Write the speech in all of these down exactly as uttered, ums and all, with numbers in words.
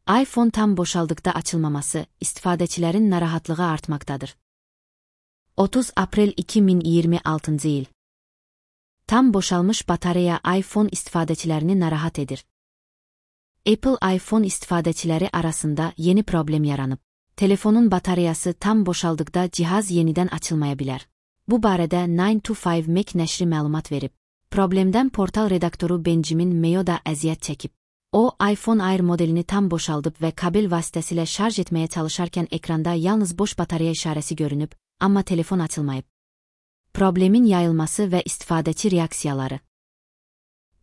iPhone tam boşaldıqda açılmaması istifadəçilərin narahatlığı artmaqdadır. otuz aprel iki min iyirmi altıncı il. Tam boşalmış batareya iPhone istifadəçilərini narahat edir. Apple iPhone istifadəçiləri arasında yeni problem yaranıb. Telefonun batareyası tam boşaldıqda cihaz yenidən açılmaya bilər. Bu barədə nine to five Mac nəşri məlumat verib. Problemdən portal redaktoru Benjamin Mayo da əziyyət çəkib. O, iPhone Air modelini tam boşaldıb və kabel vasitəsilə şarj etməyə çalışarkən ekranda yalnız boş batareya işarəsi görünüb, amma telefon açılmayıb. Problemin yayılması və istifadəçi reaksiyaları.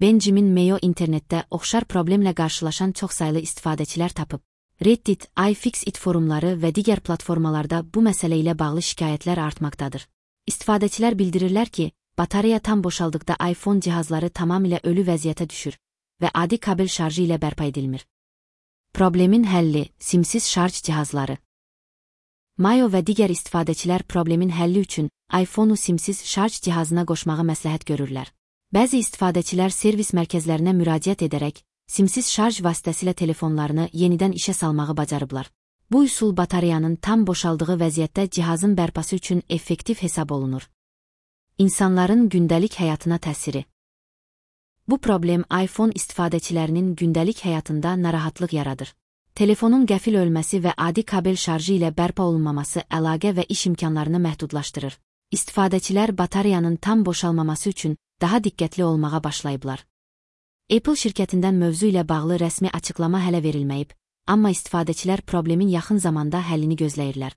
Benjamin Mayo internetdə oxşar problemlə qarşılaşan çoxsaylı istifadəçilər tapıb. Reddit, iFixit forumları və digər platformalarda bu məsələ ilə bağlı şikayətlər artmaqdadır. İstifadəçilər bildirirlər ki, batareya tam boşaldıqda iPhone cihazları tamamilə ölü vəziyyətə düşür və adi kabel şarjı ilə bərpa edilmir. Problemin həlli, simsiz şarj cihazları. Mayo və digər istifadəçilər problemin həlli üçün iPhone-u simsiz şarj cihazına qoşmağı məsləhət görürlər. Bəzi istifadəçilər servis mərkəzlərinə müraciət edərək, simsiz şarj vasitəsilə telefonlarını yenidən işə salmağı bacarıblar. Bu üsul batareyanın tam boşaldığı vəziyyətdə cihazın bərpası üçün effektiv hesab olunur. İnsanların gündəlik həyatına təsiri. Bu problem iPhone istifadəçilərinin gündəlik həyatında narahatlıq yaradır. Telefonun qəfil ölməsi və adi kabel şarjı ilə bərpa olunmaması əlaqə və iş imkanlarını məhdudlaşdırır. İstifadəçilər batareyanın tam boşalmaması üçün daha diqqətli olmağa başlayıblar. Apple şirkətindən mövzu ilə bağlı rəsmi açıqlama hələ verilməyib, amma istifadəçilər problemin yaxın zamanda həllini gözləyirlər.